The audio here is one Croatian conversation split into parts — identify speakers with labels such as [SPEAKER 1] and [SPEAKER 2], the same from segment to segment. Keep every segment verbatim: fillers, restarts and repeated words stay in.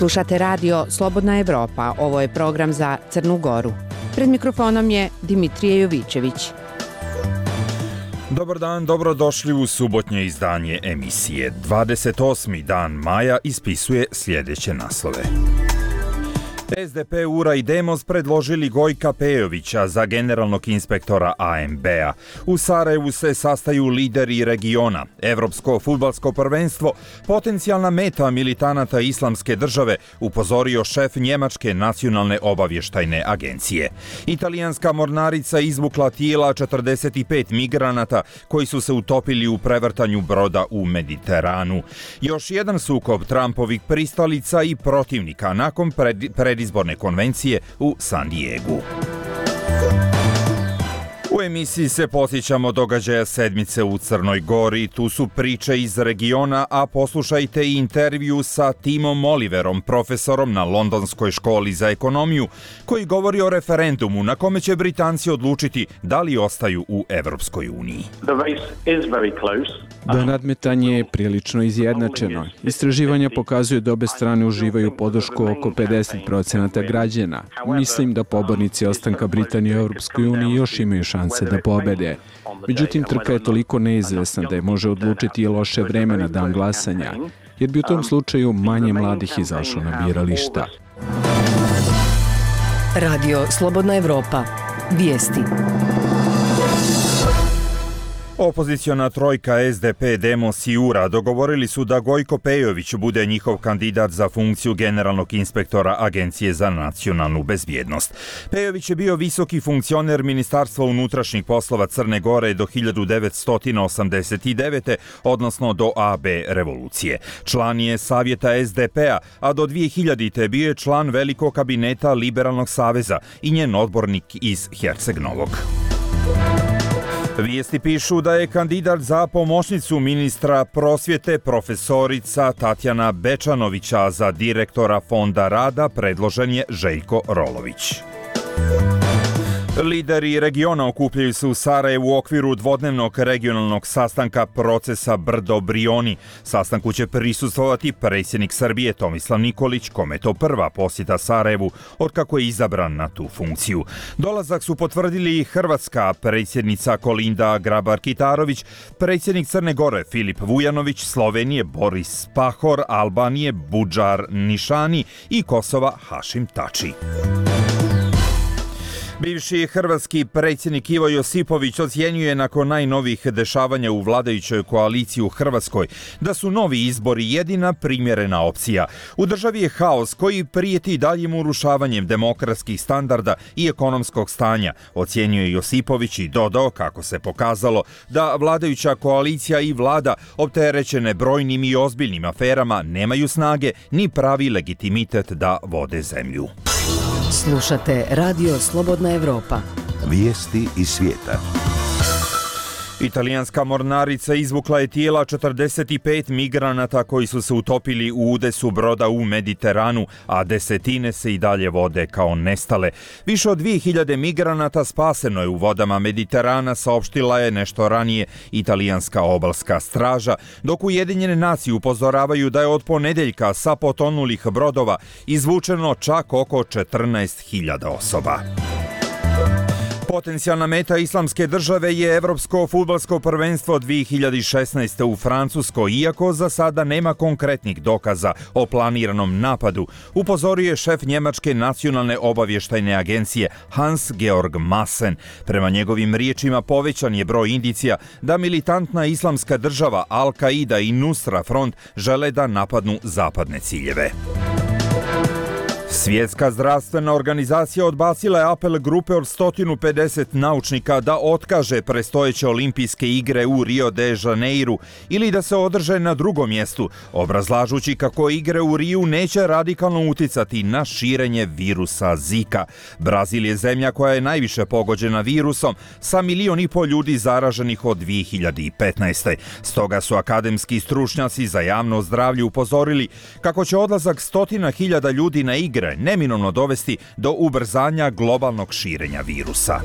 [SPEAKER 1] Slušate radio Slobodna Evropa, ovo je program za Crnu Goru. Pred mikrofonom je Dimitrije Jovićević.
[SPEAKER 2] Dobar dan, dobrodošli u subotnje izdanje emisije. dvadeset osmi dan maja ispisuje sljedeće naslove. S D P, U R A i Demos predložili Gojka Pejovića za generalnog inspektora A M B-a. U Sarajevu se sastaju lideri regiona. Evropsko fudbalsko prvenstvo, potencijalna meta militanata Islamske države, upozorio šef Njemačke nacionalne obavještajne agencije. Italijanska mornarica izvukla tijela četrdeset pet migranata koji su se utopili u prevrtanju broda u Mediteranu. Još jedan sukob Trumpovih pristalica i protivnika nakon pred, pred izborne konvencije u San Diegu. U emisiji se posjećamo događaja sedmice u Crnoj Gori. Tu su priče iz regiona, a poslušajte i intervju sa Timom Oliverom, profesorom na Londonskoj školi za ekonomiju, koji govori o referendumu na kome će Britanci odlučiti da li ostaju u Evropskoj uniji.
[SPEAKER 3] Da, nadmetanje je prilično izjednačeno. Istraživanja pokazuju da obe strane uživaju podršku oko pedeset procenata građana. Mislim da pobornici ostanka Britanije u Evropskoj uniji još imaju šanse da pobede. Međutim, trka je toliko neizvesna da je može odlučiti i loše vreme na dan glasanja, jer bi u tom slučaju manje mladih izašlo na birališta.
[SPEAKER 4] Radio Slobodna Evropa. Vijesti.
[SPEAKER 2] Opoziciona trojka S D P, Demos i U R A dogovorili su da Gojko Pejović bude njihov kandidat za funkciju generalnog inspektora Agencije za nacionalnu bezbjednost. Pejović je bio visoki funkcioner Ministarstva unutrašnjih poslova Crne Gore do hiljadu devetsto osamdeset devete. odnosno do A B revolucije. Član je Savjeta S D P-a, a do dvije hiljadite. bio je član velikog kabineta Liberalnog saveza i njen odbornik iz Herceg Novog. Vijesti pišu da je kandidat za pomoćnicu ministra prosvjete profesorica Tatjana Bečanovića, za direktora Fonda rada predložen je Željko Rolović. Lideri regiona okupljaju se u Sarajevu u okviru dvodnevnog regionalnog sastanka procesa Brdo-Brioni. Sastanku će prisustvovati predsjednik Srbije Tomislav Nikolić, kome je to prva posjeta Sarajevu otkako je izabran na tu funkciju. Dolazak su potvrdili i hrvatska predsjednica Kolinda Grabar-Kitarović, predsjednik Crne Gore Filip Vujanović, Slovenije Boris Pahor, Albanije Budžar Nišani i Kosova Hašim Tači. Bivši hrvatski predsjednik Ivo Josipović ocjenjuje nakon najnovijih dešavanja u vladajućoj koaliciji u Hrvatskoj da su novi izbori jedina primjerena opcija. U državi je haos koji prijeti daljim urušavanjem demokratskih standarda i ekonomskog stanja, ocjenjuje Josipović i dodao kako se pokazalo da vladajuća koalicija i vlada opterećene brojnim i ozbiljnim aferama nemaju snage ni pravi legitimitet da vode zemlju.
[SPEAKER 4] Slušate Radio Slobodna Evropa.
[SPEAKER 5] Vijesti iz svijeta.
[SPEAKER 2] Italijanska mornarica izvukla je tijela četrdeset pet migranata koji su se utopili u udesu broda u Mediteranu, a desetine se i dalje vode kao nestale. Više od dvije hiljade migranata spaseno je u vodama Mediterana, saopštila je nešto ranije italijanska obalska straža, dok Ujedinjene nacije upozoravaju da je od ponedeljka sa potonulih brodova izvučeno čak oko četrnaest hiljada osoba. Potencijalna meta Islamske države je Evropsko fudbalsko prvenstvo dvije hiljade šesnaeste. u Francuskoj, iako za sada nema konkretnih dokaza o planiranom napadu, upozorio je šef Njemačke nacionalne obavještajne agencije Hans-Georg Maassen. Prema njegovim riječima povećan je broj indicija da militantna Islamska država, Al-Qaida i Nusra Front žele da napadnu zapadne ciljeve. Svjetska zdravstvena organizacija odbacila je apel grupe od sto pedeset naučnika da otkaže predstojeće olimpijske igre u Rio de Janeiru ili da se održe na drugom mjestu, obrazlažući kako igre u Riju neće radikalno uticati na širenje virusa Zika. Brazil je zemlja koja je najviše pogođena virusom, sa milion i pol ljudi zaraženih od dvije hiljade petnaeste. Stoga su akademski stručnjaci za javno zdravlje upozorili kako će odlazak stotina hiljada ljudi na igre neminovno dovesti do ubrzanja globalnog širenja virusa.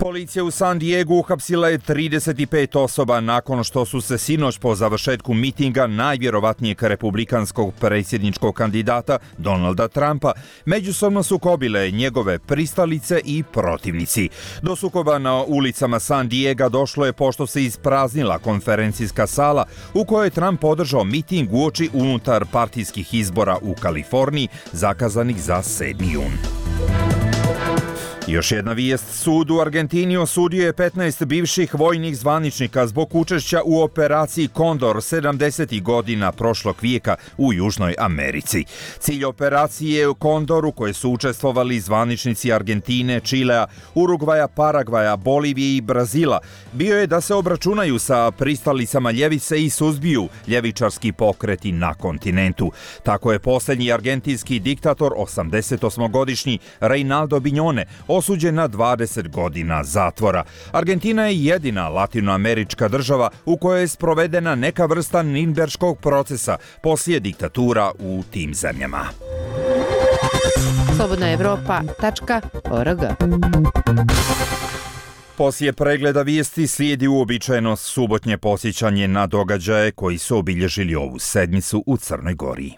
[SPEAKER 2] Policija u San Diegu uhapsila je trideset pet osoba nakon što su se sinoć po završetku mitinga najvjerovatnijeg republikanskog predsjedničkog kandidata Donalda Trumpa međusobno sukobile njegove pristalice i protivnici. Do sukoba na ulicama San Diega došlo je pošto se ispraznila konferencijska sala u kojoj je Trump održao miting uoči unutar partijskih izbora u Kaliforniji zakazanih za sedmi jun. Još jedna vijest, sud u Argentini osudio je petnaest bivših vojnih zvaničnika zbog učešća u operaciji Kondor sedamdesetih godina prošlog vijeka u Južnoj Americi. Cilj operacije Kondor u kojoj su učestvovali zvaničnici Argentine, Čilea, Urugvaja, Paragvaja, Bolivije i Brazila bio je da se obračunaju sa pristalicama ljevice i suzbiju ljevičarski pokreti na kontinentu. Tako je posljednji argentinski diktator, osamdesetosmogodišnji Reinaldo Bignone, osuđen na dvadeset godina zatvora. Argentina je jedina latinoamerička država u kojoj je sprovedena neka vrsta Nirnberškog procesa poslije diktatura u tim zemljama.
[SPEAKER 1] slobodna evropa tačka org.
[SPEAKER 2] Poslije pregleda vijesti slijedi uobičajeno subotnje posjećanje na događaje koji su obilježili ovu sedmicu u Crnoj Gori.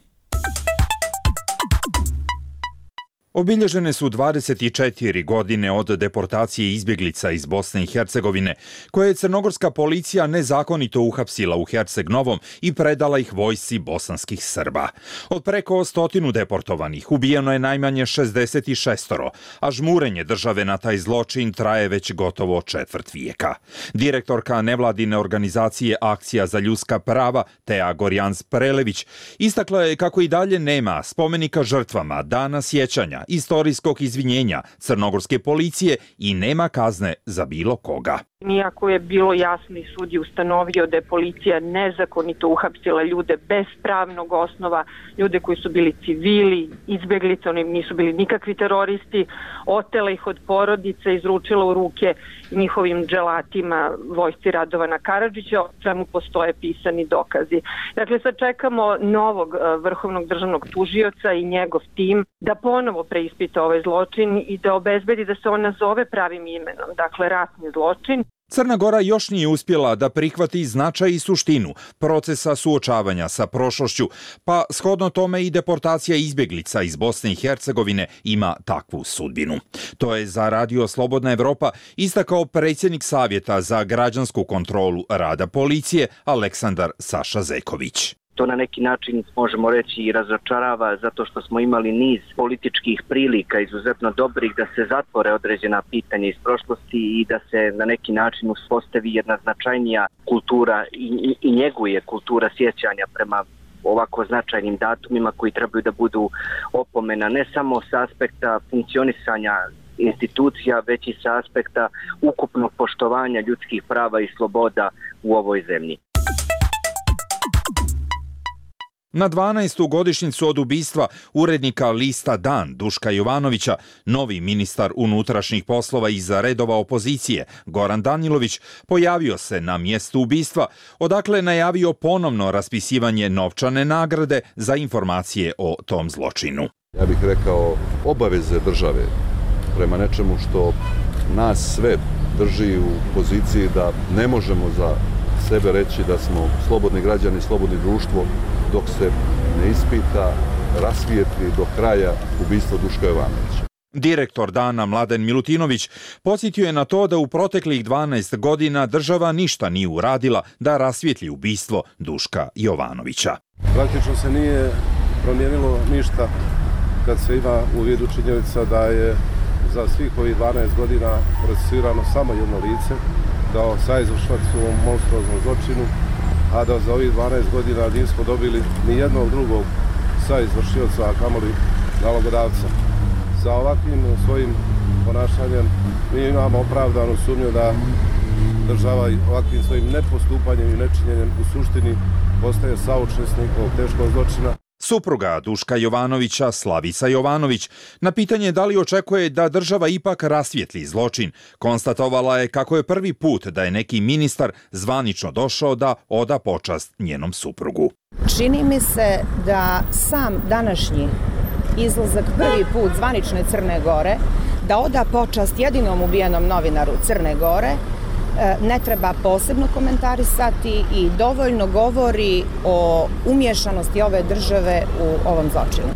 [SPEAKER 2] Obilježene su dvadeset četiri godine od deportacije izbjeglica iz Bosne i Hercegovine, koje je crnogorska policija nezakonito uhapsila u Herceg Novom i predala ih vojsci bosanskih Srba. Od preko stotinu deportovanih ubijeno je najmanje šezdeset šest, a žmurenje države na taj zločin traje već gotovo četvrt vijeka. Direktorka nevladine organizacije Akcija za ljudska prava, Tea Gorjans Prelević, istakla je kako i dalje nema spomenika žrtvama, dana sjećanja, istorijskog izvinjenja crnogorske policije i nema kazne za bilo koga.
[SPEAKER 6] Iako je bilo jasno i sud je ustanovio da je policija nezakonito uhapsila ljude bez pravnog osnova, ljude koji su bili civili, izbjeglice, oni nisu bili nikakvi teroristi, otela ih od porodice, izručila u ruke njihovim dželatima vojsci Radovana Karadžića, o čemu postoje pisani dokazi. Dakle, sad čekamo novog vrhovnog državnog tužioca i njegov tim da ponovo preispita ovaj zločin i da obezbedi da se on nazove pravim imenom, dakle ratni zločin.
[SPEAKER 2] Crna Gora još nije uspjela da prihvati značaj i suštinu procesa suočavanja sa prošlošću, pa shodno tome i deportacija izbjeglica iz Bosne i Hercegovine ima takvu sudbinu. To je za Radio Slobodna Evropa istakao predsjednik Savjeta za građansku kontrolu rada policije Aleksandar Saša Zeković.
[SPEAKER 7] To na neki način možemo reći i razočarava zato što smo imali niz političkih prilika izuzetno dobrih da se zatvore određena pitanja iz prošlosti i da se na neki način uspostavi jedna značajnija kultura i, i, i njeguje kultura sjećanja prema ovako značajnim datumima koji trebaju da budu opomena ne samo s aspekta funkcionisanja institucija, već i sa aspekta ukupnog poštovanja ljudskih prava i sloboda u ovoj zemlji.
[SPEAKER 2] Na dvanaestu godišnjicu od ubistva urednika lista Dan Duška Jovanovića, novi ministar unutrašnjih poslova iz redova opozicije Goran Danilović pojavio se na mjestu ubistva, odakle najavio ponovno raspisivanje novčane nagrade za informacije o tom zločinu.
[SPEAKER 8] Ja bih rekao obaveze države prema nečemu što nas sve drži u poziciji da ne možemo za sebe reći da smo slobodni građani, slobodni društvo, dok se ne ispita, rasvijetli do kraja ubistvo Duška Jovanovića.
[SPEAKER 2] Direktor Dana Mladen Milutinović podsjetio je na to da u proteklih dvanaest godina država ništa nije uradila da rasvijetli ubistvo Duška Jovanovića.
[SPEAKER 9] Praktično se nije promijenilo ništa kad se ima u vidu činjenica da je za svih ovih dvanaest godina procesuirano samo jedno lice, da saizvršilac u ovom monstruoznom zločinu, a da za ovih dvanaest godina nismo dobili ni jednog drugog saizvršioca, a kamoli nalogodavca. Sa ovakvim svojim ponašanjem mi imamo opravdanu sumnju da država ovakvim svojim nepostupanjem i nečinjenjem u suštini postaje saučesnik ovog teškog zločina.
[SPEAKER 2] Supruga Duška Jovanovića, Slavica Jovanović, na pitanje da li očekuje da država ipak rasvijetli zločin, konstatovala je kako je prvi put da je neki ministar zvanično došao da oda počast njenom suprugu.
[SPEAKER 10] Čini mi se da sam današnji izlazak prvi put zvanične Crne Gore da oda počast jedinom ubijenom novinaru Crne Gore ne treba posebno komentarisati i dovoljno govori o umješanosti ove države u ovom zločinu.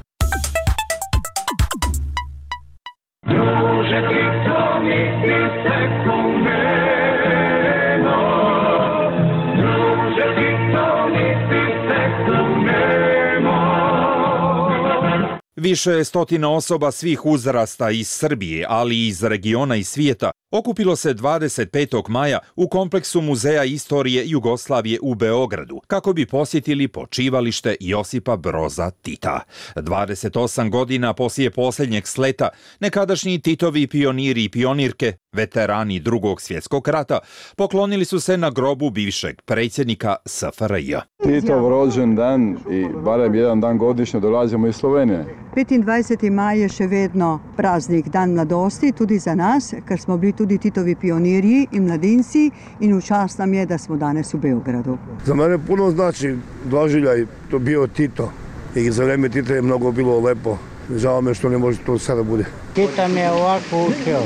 [SPEAKER 2] Više stotina osoba svih uzrasta iz Srbije, ali i iz regiona i svijeta, okupilo se dvadeset petog maja u kompleksu Muzeja istorije Jugoslavije u Beogradu, kako bi posjetili počivalište Josipa Broza Tita. dvadeset osam godina poslije posljednjeg sleta, nekadašnji Titovi pioniri i pionirke, veterani Drugog svjetskog rata, poklonili su se na grobu bivšeg predsjednika S F R J.
[SPEAKER 11] Titov rođen dan i barem jedan dan godišnje dolazimo iz Slovenije.
[SPEAKER 12] petindvajseti maj je še vedno praznik dan mladosti, tudi za nas, ker smo bili tudi Titovi pionirji in mladinci in v čast nam je, da smo danes u Beogradu.
[SPEAKER 13] Za mene puno znači doživljaj, to bio Tito i za vreme Tita je mnogo bilo lepo. Žao me što ne može to sada bude.
[SPEAKER 14] Tita me je ovako učio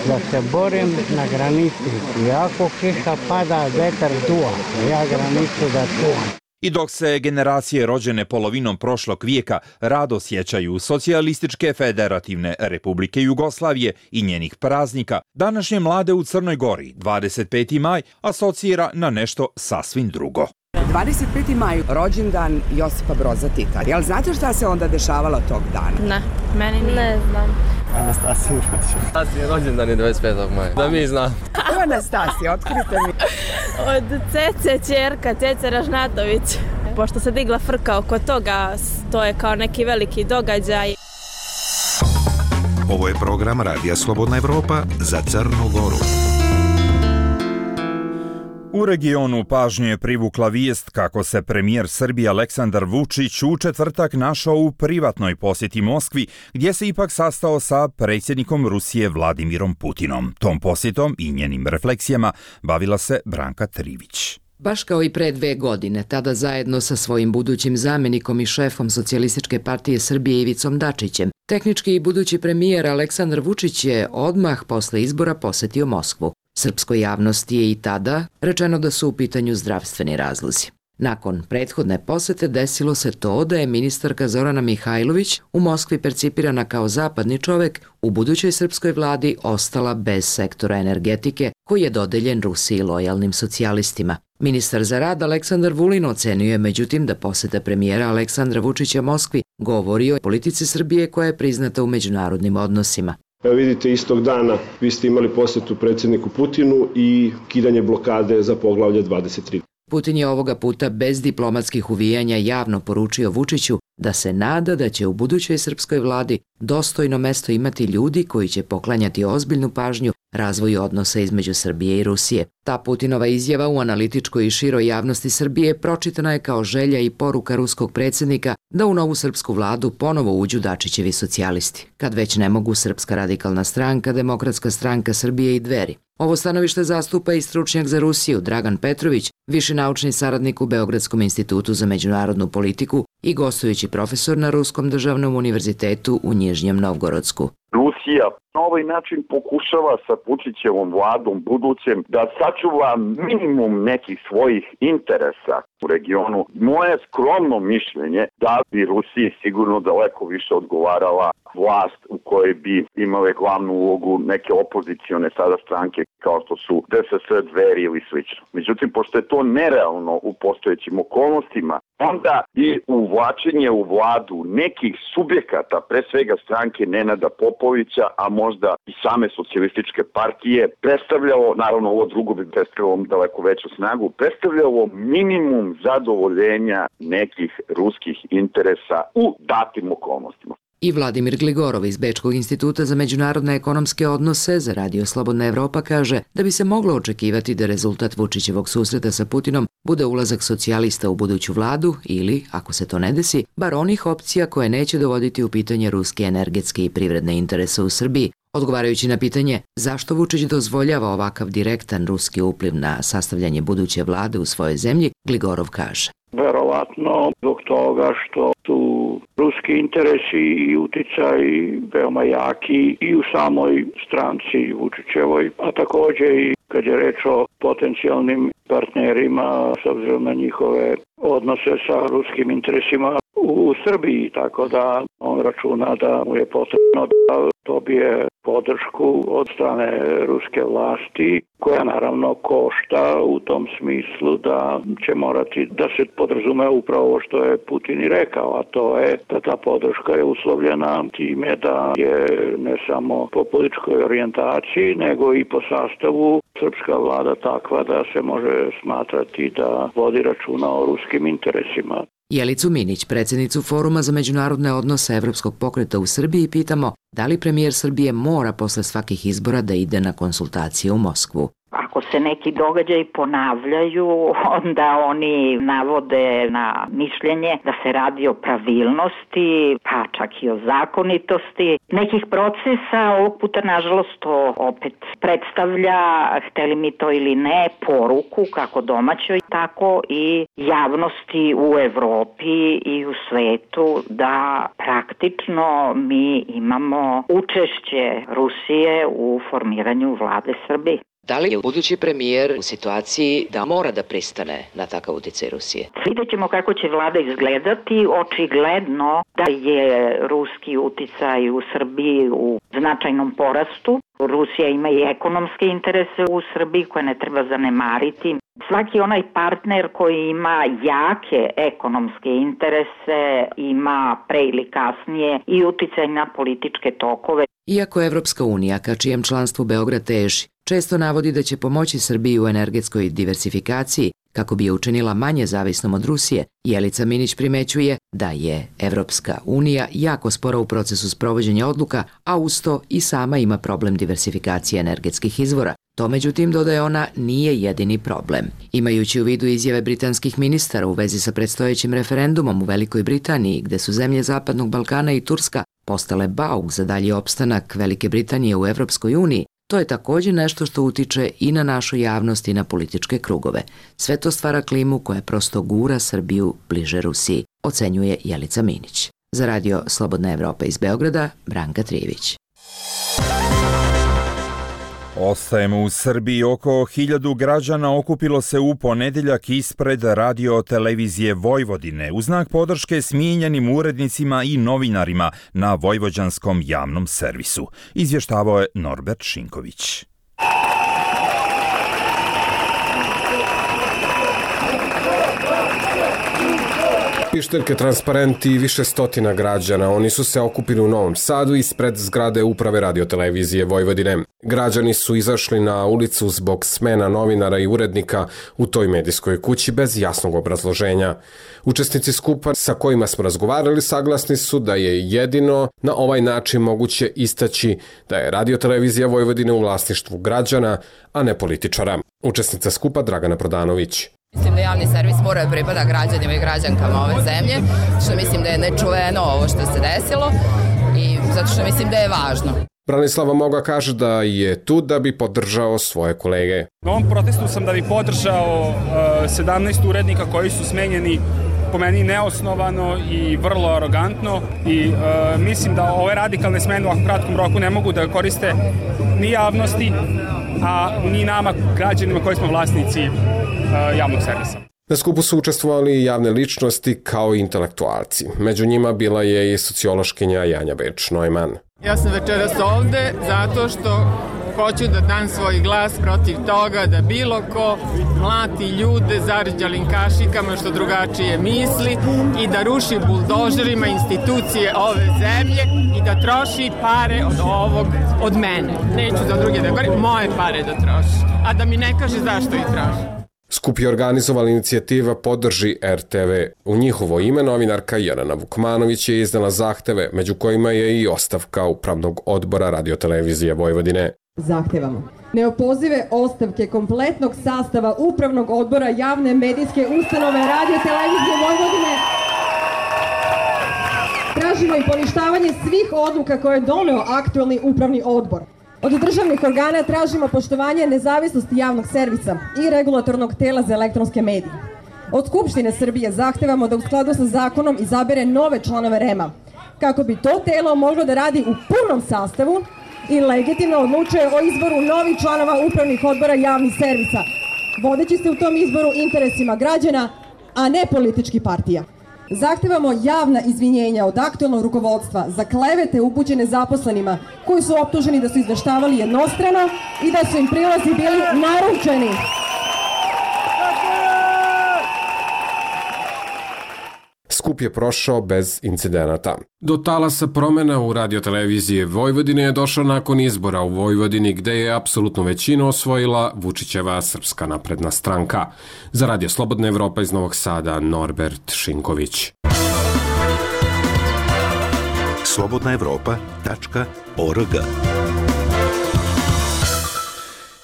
[SPEAKER 14] da se borim na granici. I ako kiša pada, vetar duva, ja granicu da čuvam.
[SPEAKER 2] I dok se generacije rođene polovinom prošlog vijeka rado sjećaju Socijalističke federativne Republike Jugoslavije i njenih praznika, današnje mlade u Crnoj Gori dvadeset peti maj asocira na nešto sasvim drugo.
[SPEAKER 15] dvadeset peti maj, rođendan Josipa Broza Tita. Jel znate šta se onda dešavalo tog dana?
[SPEAKER 16] Ne, meni nije. Ne znam.
[SPEAKER 17] Anastasija rođendan. Anastasija rođendan je dvadeset petog maja. Da mi znam.
[SPEAKER 15] Evo Anastasija, otkrite mi.
[SPEAKER 16] Od Cece ćerka, Cece Ražnatović. Pošto se digla frka oko toga, to je kao neki veliki događaj.
[SPEAKER 5] Ovo je program Radija Slobodna Evropa za Crnu Goru.
[SPEAKER 2] U regionu pažnju je privukla vijest kako se premijer Srbije Aleksandar Vučić u četvrtak našao u privatnoj posjeti Moskvi, gdje se ipak sastao sa predsjednikom Rusije Vladimirom Putinom. Tom posjetom i njenim refleksijama bavila se Branka Trivić.
[SPEAKER 18] Baš kao i pre dve godine, tada zajedno sa svojim budućim zamjenikom i šefom Socijalističke partije Srbije Ivicom Dačićem, tehnički i budući premijer Aleksandar Vučić je odmah posle izbora posjetio Moskvu. Srpskoj javnosti je i tada rečeno da su u pitanju zdravstveni razlozi. Nakon prethodne posete desilo se to da je ministarka Zorana Mihajlović, u Moskvi percipirana kao zapadni čovek, u budućoj srpskoj vladi ostala bez sektora energetike koji je dodeljen Rusiji lojalnim socijalistima. Ministar za rad Aleksandar Vulin ocenio je međutim da poseta premijera Aleksandra Vučića Moskvi govori o politici Srbije koja je priznata u međunarodnim odnosima.
[SPEAKER 19] Evo vidite, istog dana vi ste imali posjetu predsjedniku Putinu i kidanje blokade za poglavlje dvadeset tri.
[SPEAKER 18] Putin je ovoga puta bez diplomatskih uvijanja javno poručio Vučiću da se nada da će u budućoj srpskoj vladi dostojno mesto imati ljudi koji će poklanjati ozbiljnu pažnju razvoju odnosa između Srbije i Rusije. Ta Putinova izjava u analitičkoj i široj javnosti Srbije pročitana je kao želja i poruka ruskog predsjednika da u novu srpsku vladu ponovo uđu Dačićevi socijalisti, kad već ne mogu Srpska radikalna stranka, Demokratska stranka Srbije i Dveri. Ovo stanovište zastupa i stručnjak za Rusiju Dragan Petrović, viši naučni saradnik u Beogradskom institutu za međunarodnu politiku i gostujući profesor na Ruskom državnom univerzitetu u Nižnjem Novgorodsku.
[SPEAKER 20] Rusija na ovaj način pokušava sa Vučićevom vladom budućem da sačuva minimum nekih svojih interesa u regionu. Moje skromno mišljenje da bi Rusiji sigurno daleko više odgovarala vlast u kojoj bi imale glavnu ulogu neke opozicione sada stranke kao što su D S S, Dveri ili slično. Međutim, pošto je to nerealno u postojećim okolnostima, onda i uvlačenje u vladu nekih subjekata, pre svega stranke Nenada Popovića, a možda i same socijalističke partije, predstavljalo, naravno ovo drugo bi predstavljalo daleko veću snagu, predstavljalo minimum zadovoljenja nekih ruskih interesa u datim okolnostima.
[SPEAKER 18] I Vladimir Gligorov iz Bečkog instituta za međunarodne ekonomske odnose za Radio Slobodna Evropa kaže da bi se moglo očekivati da rezultat Vučićevog susreta sa Putinom bude ulazak socijalista u buduću vladu ili, ako se to ne desi, bar onih opcija koje neće dovoditi u pitanje ruske energetske i privredne interese u Srbiji. Odgovarajući na pitanje zašto Vučić dozvoljava ovakav direktan ruski upliv na sastavljanje buduće vlade u svojoj zemlji, Gligorov kaže.
[SPEAKER 21] Verovatno zbog toga što su ruski interesi i uticaj veoma jaki i u samoj stranci Vučićevoj, a takođe i kad je reč o potencijalnim partnerima s obzirom na njihove odnose sa ruskim interesima u Srbiji, tako da on računa da mu je potrebno da dobije podršku od strane ruske vlasti, koja naravno košta u tom smislu da će morati da se podrazume upravo ovo što je Putin i rekao, a to je da ta podrška je uslovljena time da je ne samo po političkoj orijentaciji, nego i po sastavu srpska vlada takva da se može smatrati da vodi računa o ruskim interesima.
[SPEAKER 18] Jelicu Minić, predsjednicu Foruma za međunarodne odnose Evropskog pokreta u Srbiji, pitamo da li premijer Srbije mora posle svakih izbora da ide na konsultacije u Moskvu.
[SPEAKER 22] Ako se neki događaji ponavljaju, onda oni navode na mišljenje da se radi o pravilnosti, pa čak i o zakonitosti nekih procesa. Ovog puta, nažalost, to opet predstavlja, hteli mi to ili ne, poruku kako domaćoj, tako i javnosti u Evropi i u svetu da praktično mi imamo učešće Rusije u formiranju vlade Srbije.
[SPEAKER 18] Da li je budući premijer u situaciji da mora da pristane na takav uticaj Rusije?
[SPEAKER 22] Vidjet ćemo kako će vlada izgledati. Očigledno da je ruski uticaj u Srbiji u značajnom porastu. Rusija ima i ekonomske interese u Srbiji koje ne treba zanemariti. Svaki onaj partner koji ima jake ekonomske interese ima pre ili kasnije i uticaj na političke tokove.
[SPEAKER 18] Iako Evropska unija, ka čijem članstvu Beograd teži, često navodi da će pomoći Srbiji u energetskoj diversifikaciji kako bi je učinila manje zavisnom od Rusije, Jelica Minić primećuje da je Evropska unija jako spora u procesu sprovođenja odluka, a uz to i sama ima problem diversifikacije energetskih izvora. To, međutim, dodaje ona, nije jedini problem. Imajući u vidu izjave britanskih ministara u vezi sa predstojećim referendumom u Velikoj Britaniji, gde su zemlje Zapadnog Balkana i Turska postale bauk za dalji opstanak Velike Britanije u Evropskoj uniji, to je također nešto što utiče i na našu javnost i na političke krugove. Sve to stvara klimu koja prosto gura Srbiju bliže Rusiji, ocenjuje Jelica Minić. Za radio Slobodna Evropa iz Beograda, Branka Trijević.
[SPEAKER 2] Ostajemo u Srbiji. Oko hiljadu građana okupilo se u ponedeljak ispred radio televizije Vojvodine u znak podrške smijenjenim urednicima i novinarima na vojvođanskom javnom servisu. Izvještavao je Norbert Šinković.
[SPEAKER 23] Pišteljke, transparenti i više stotina građana. Oni su se okupili u Novom Sadu ispred zgrade uprave radiotelevizije Vojvodine. Građani su izašli na ulicu zbog smena novinara i urednika u toj medijskoj kući bez jasnog obrazloženja. Učesnici skupa sa kojima smo razgovarali saglasni su da je jedino na ovaj način moguće istaći da je radiotelevizija Vojvodine u vlasništvu građana, a ne političara. Učesnica skupa Dragana Prodanović.
[SPEAKER 24] Mislim da javni servis mora pripada građanima i građankama ove zemlje, što mislim da je nečuveno ovo što se desilo i zato što mislim da je važno.
[SPEAKER 23] Branislava Moga kaže da je tu da bi podržao svoje kolege.
[SPEAKER 25] Na ovom protestu sam da bi podržao uh, sedamnaest urednika koji su smenjeni po meni neosnovano i vrlo arogantno i uh, mislim da ove radikalne smene u ovakvom kratkom roku ne mogu da koriste ni javnosti, a ni nama građanima koji smo vlasnici uh, javnog servisa.
[SPEAKER 23] Na skupu su učestvovali javne ličnosti kao i intelektualci. Među njima bila je i sociološkinja Janja Beč-Neumann.
[SPEAKER 26] Ja sam večeras ovde zato što hoću da dam svoj glas protiv toga da bilo ko mlati ljude zarđalim kašikama što drugačije misli i da ruši buldožerima institucije ove zemlje i da troši pare od ovog, od mene. Neću za druge da govorim, moje pare da troši, a da mi ne kaže zašto ih troši.
[SPEAKER 23] Skup je organizovala inicijativa Podrži R T V. U njihovo ime novinarka Jelena Vukmanović je iznala zahteve, među kojima je i ostavka upravnog odbora radiotelevizije Vojvodine.
[SPEAKER 27] Zahtevamo neopozive ostavke kompletnog sastava upravnog odbora javne medijske ustanove radiotelevizije Vojvodine. Tražimo i poništavanje svih odluka koje je doneo aktualni upravni odbor. Od državnih organa tražimo poštovanje nezavisnosti javnog servisa i regulatornog tela za elektronske medije. Od Skupštine Srbije zahtevamo da u skladu sa zakonom izabere nove članove R E M-a, kako bi to telo moglo da radi u punom sastavu i legitimno odlučuje o izboru novih članova upravnih odbora javnih servisa, vodeći se u tom izboru interesima građana, a ne političkih partija. Zahtevamo javna izvinjenja od aktualnog rukovodstva za klevete upućene zaposlenima koji su optuženi da su izveštavali jednostrano i da su im prilozi bili naručeni.
[SPEAKER 23] Skup je prošao bez incidenata. Do talasa promjena u radioteleviziji Vojvodine je došao nakon izbora u Vojvodini gde je apsolutnu većinu osvojila Vučićeva Srpska napredna stranka. Za Radio Slobodna Evropa iz Novog Sada, Norbert Šinković.
[SPEAKER 5] slobodna evropa tačka org.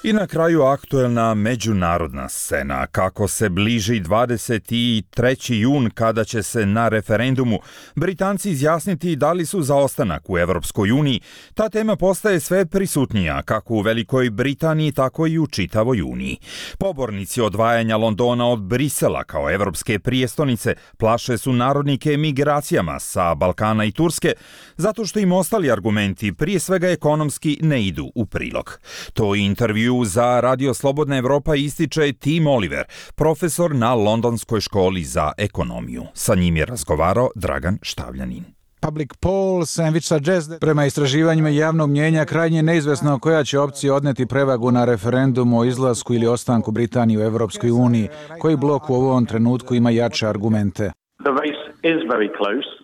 [SPEAKER 2] I na kraju aktuelna međunarodna scena. Kako se bliži dvadeset treći jun kada će se na referendumu Britanci izjasniti da li su za ostanak u Evropskoj uniji, ta tema postaje sve prisutnija kako u Velikoj Britaniji, tako i u čitavoj Uniji. Pobornici odvajanja Londona od Brisela kao evropske prijestolnice plaše su narodnike migracijama sa Balkana i Turske, zato što im ostali argumenti, prije svega ekonomski, ne idu u prilog. To je intervju za Radio Slobodna Evropa ističe Tim Oliver, profesor na Londonskoj školi za ekonomiju. Sa njim je razgovarao Dragan Štavljanin.
[SPEAKER 1] Public polls and which suggest that... Prema istraživanjima javnog mnjenja krajnje neizvesno koja će opcija odneti prevagu na referendumu o izlasku ili ostanku Britanije u Evropskoj uniji. Koji blok u ovom trenutku ima jače argumente?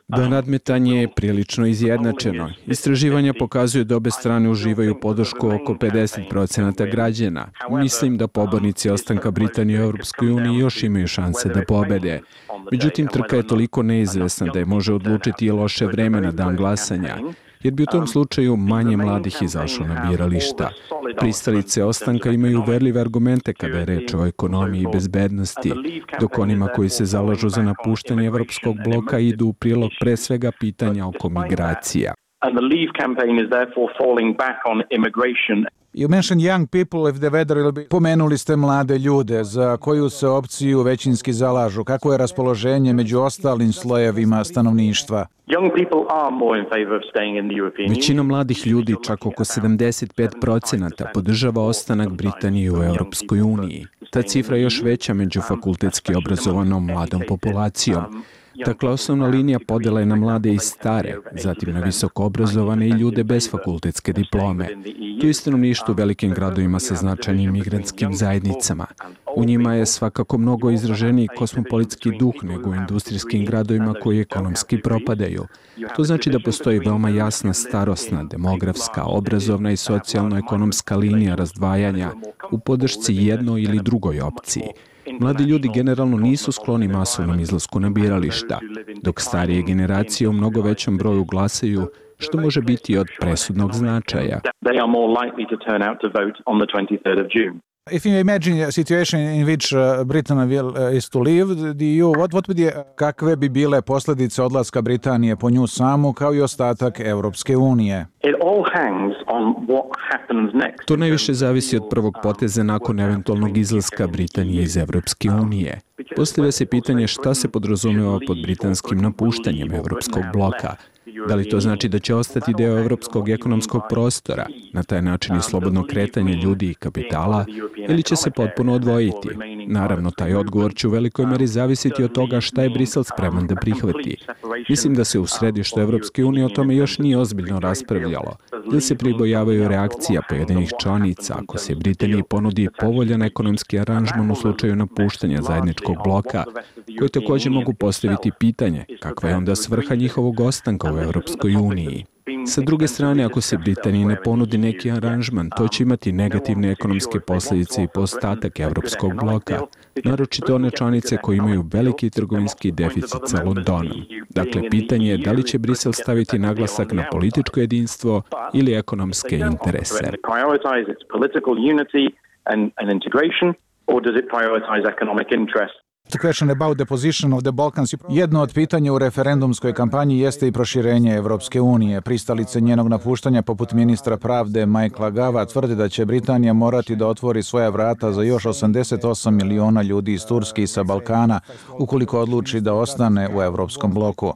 [SPEAKER 3] Da, nadmetanje je prilično izjednačeno. Istraživanja pokazuju da obe strane uživaju podršku oko pedeset procenata građana. Mislim da pobornici ostanka Britanije u Europskoj uniji još imaju šanse da pobede. Međutim, trka je toliko neizvesna da je može odlučiti i loše vreme na dan glasanja, jer bi u tom slučaju manje mladih izašlo na birališta. Pristalice ostanka imaju uverljive argumente kada je reč o ekonomiji i bezbednosti, dok onima koji se zalažu za napuštanje evropskog bloka idu u prilog pre svega pitanja oko migracija.
[SPEAKER 1] You mentioned young people if the weather will be... Pomenuli ste mlade ljude, za koju se opciju većinski zalažu. Kako je raspoloženje među ostalim slojevima stanovništva?
[SPEAKER 3] Većina mladih ljudi, čak oko sedamdeset pet procenata, podržava ostanak Britanije u Europskoj uniji. Ta cifra je još veća među fakultetski obrazovanom mladom populacijom. Dakle, osnovna linija podela je na mlade i stare, zatim na visoko obrazovane i ljude bez fakultetske diplome. To je stanovništvo u velikim gradovima sa značajnim migrantskim zajednicama. U njima je svakako mnogo izraženiji kosmopolitski duh nego u industrijskim gradovima koji ekonomski propadaju. To znači da postoji veoma jasna starosna, demografska, obrazovna i socijalno-ekonomska linija razdvajanja u podršci jednoj ili drugoj opciji. Mladi ljudi generalno nisu skloni masovnom izlasku na birališta, dok starije generacije u mnogo većem broju glasaju, što može biti od presudnog značaja.
[SPEAKER 1] If you imagine a situation in which uh, Britain will uh, is to leave the E U, what what would be, kakve bi bile posljedice odlaska Britanije po nju samu kao i ostatak Evropske unije?
[SPEAKER 3] To najviše zavisi od prvog poteza nakon eventualnog izlaska Britanije iz Evropske unije. Postavlja se pitanje šta se podrazumeva pod britanskim napuštanjem Evropskog bloka. Da li to znači da će ostati deo evropskog ekonomskog prostora, na taj način i slobodno kretanje ljudi i kapitala, ili će se potpuno odvojiti? Naravno, taj odgovor će u velikoj meri zavisiti od toga šta je Brisel spreman da prihvati. Mislim da se u središtu Evropske unije o tome još nije ozbiljno raspravljalo, jer se pribojavaju reakcija pojedinih članica ako se Britaniji ponudi povoljan ekonomski aranžman u slučaju napuštanja zajedničkog bloka, koji također mogu postaviti pitanje kakva je onda svrha njihovog ostanka u Evropskoj uniji. Sa druge strane, ako se Britaniji ne ponudi neki aranžman, to će imati negativne ekonomske posljedice i po ostatak Evropskog bloka, naročito one članice koje imaju veliki trgovinski deficit sa Londonom. Dakle, pitanje je da li će Brisel staviti naglasak na političko jedinstvo ili ekonomske interese.
[SPEAKER 1] asked a question about the position of the Balkans. Jedno od pitanja u referendumskoj kampanji jeste i proširenje Evropske unije. Pristalice njenog napuštanja, poput ministra pravde Michaela Gava, tvrde da će Britanija morati da otvori svoja vrata za još osamdeset osam miliona ljudi iz Turske i sa Balkana, ukoliko odluči da ostane u Evropskom bloku.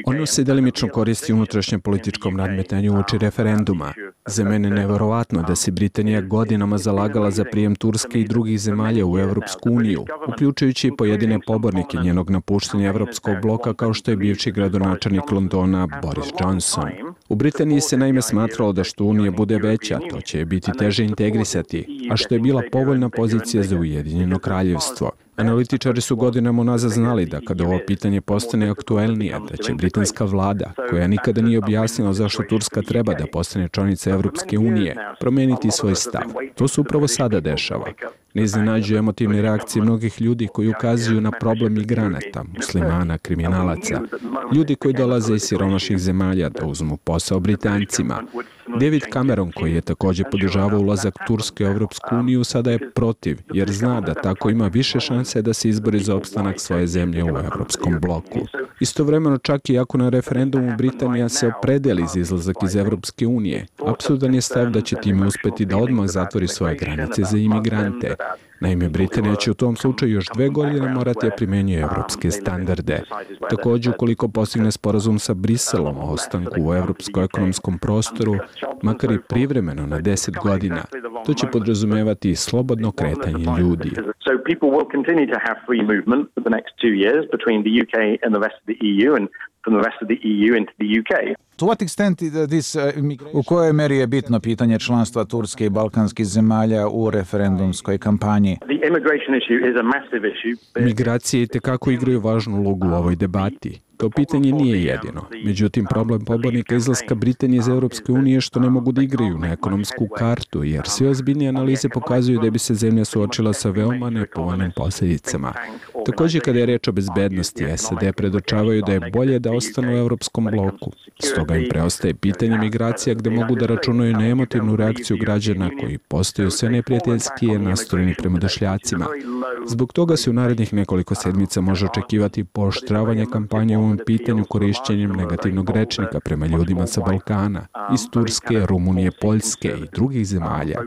[SPEAKER 3] Ono se delimično koristi u unutrašnjem političkom nadmetanju uoči referenduma. Za mene je neverovatno da se Britanija godinama zalagala za prijem Turske i drugih zemalja u Evropsku uniju, uključujući i pojedine pobornike njenog napuštanja Evropskog bloka kao što je bivši gradonačelnik Londona Boris Johnson. U Britaniji se naime smatralo da što Unija bude veća, to će je biti teže integrisati, a što je bila povoljna pozicija za Ujedinjeno kraljevstvo. Analitičari su godinama unazad znali da kada ovo pitanje postane aktuelnije, da će britanska vlada, koja nikada nije objasnila zašto Turska treba da postane članica Evropske unije, promeniti svoj stav. To se upravo sada dešava. Ne iznenađuju emotivne reakcije mnogih ljudi koji ukazuju na problem migranata, muslimana, kriminalaca, ljudi koji dolaze iz siromašnih zemalja da uzmu posao Britancima. David Cameron, koji je također podržavao ulazak Turske u Evropsku uniju, sada je protiv, jer zna da tako ima više šanse da se izbori za opstanak svoje zemlje u Evropskom bloku. Istovremeno, čak i ako na referendumu Britanija se opredeli za izlazak iz Evropske unije, apsurdan je stav da će time uspeti da odmah zatvori svoje granice za imigrante. Naime, Britanija će u tom slučaju još dve godine morati da primenjuje evropske standarde. Također, ukoliko postigne sporazum sa Briselom o ostanku u evropskom ekonomskom prostoru, makar i privremeno na deset godina, to će podrazumevati slobodno kretanje ljudi.
[SPEAKER 1] U kojoj meri je bitno pitanje članstva Turske i balkanskih zemalja u referendumskoj kampanji?
[SPEAKER 3] Migracije itekako igraju važnu ulogu u ovoj debati. To pitanje nije jedino. Međutim, problem pobornika izlaska Britanije iz Evropske unije je što ne mogu da igraju na ekonomsku kartu, jer sve ozbiljnije analize pokazuju da bi se zemlja suočila sa veoma nepovoljnim posljedicama. Također, kada je reč o bezbednosti, S A D predočavaju da je bolje da ostanu u Evropskom bloku. Stoga im preostaje pitanje migracija gde mogu da računaju na emotivnu reakciju građana koji postaju sve neprijateljskije nastrojeni prema došljacima. Zbog toga se u narednih nekoliko sedmica može očekivati pooštravanje kampanje u ovom pitanju korišćenjem negativnog rečnika prema ljudima sa Balkana, iz Turske, Rumunije, Poljske i drugih zemalja.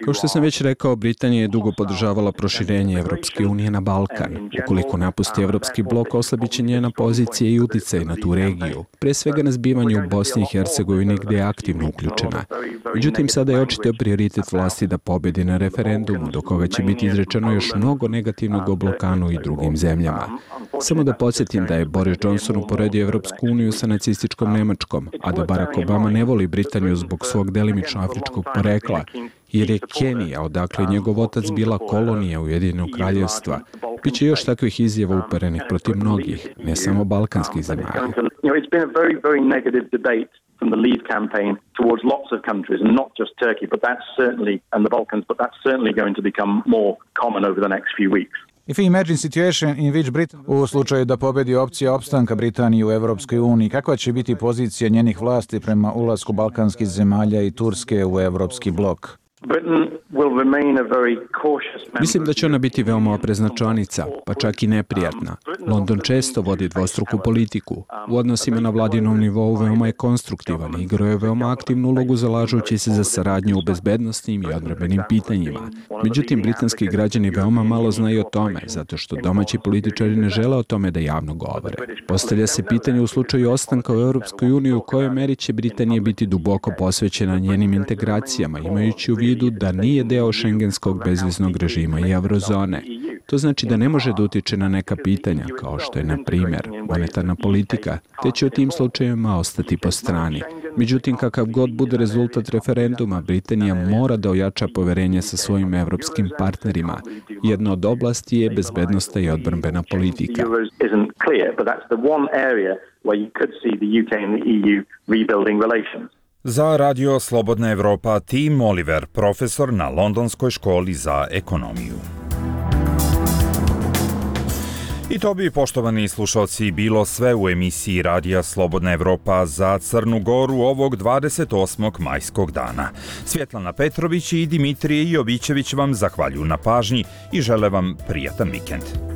[SPEAKER 3] Kao što sam već rekao, Britanija je dugo podržavala proširenje Evropske unije na Balkan. Ukoliko napusti Evropski blok, oslabit će njena pozicija i uticaj na tu regiju, pre svega na zbivanje u Bosni i Hercegovini gde je aktivno uključena. Međutim, sada je očito prioritet vlasti da pobedi na referendumu, do koga će biti izrečeno još mnogo negativnog o Balkanu i drugim zemljama. Samo da podsjetim da je Boris Johnson uporedio Evropsku uniju sa nacističkom Nemačkom, a da Barack Obama ne voli Britaniju zbog svog delimično afričkog porekla, jer je Kenija, odakle je njegov otac bila kolonija Ujedinjenog kraljevstva. Biće još takvih izjava uperenih protiv mnogih, ne samo balkanskih zemalja.
[SPEAKER 4] From the Leave campaign towards lots of countries, and not just Turkey, but that's certainly, and the Balkans, but that's certainly going to become more common over the next few weeks.
[SPEAKER 1] If we imagine situation in which Britain, u slučaju da pobedi opcija opstanka Britanije u Evropskoj uniji, kakva će biti pozicija njenih vlasti prema ulasku balkanskih zemalja i Turske u Evropski blok?
[SPEAKER 3] Mislim da će ona biti veoma oprezna članica, pa čak i neprijatna. London često vodi dvostruku politiku. U odnosima na vladinom nivou veoma je konstruktivan i igrao je veoma aktivnu ulogu zalažući se za saradnju u bezbednosnim i odbrambenim pitanjima. Međutim, britanski građani veoma malo znaju o tome, zato što domaći političari ne žele o tome da javno govore. Postavlja se pitanje u slučaju ostanka u Evropskoj uniji u kojoj meri će Britanija biti duboko posvećena njenim integracijama, imajući u vidu da nije deo šengenskog bezviznog režima i eurozone. To znači da ne može da utiče na neka pitanja, kao što je, na primjer, monetarna politika, te će u tim slučajevima ostati po strani. Međutim, kakav god bude rezultat referenduma, Britanija mora da ojača poverenje sa svojim evropskim partnerima. Jedna od oblasti je bezbednosna i odbrambena politika.
[SPEAKER 2] Za Radio Slobodna Evropa, Tim Oliver, profesor na Londonskoj školi za ekonomiju. I to bi, poštovani slušalci, bilo sve u emisiji Radija Slobodna Evropa za Crnu Goru ovog dvadeset osmog majskog dana. Svjetlana Petrović i Dimitrije Jovićević vam zahvaljuju na pažnji i žele vam prijatan vikend.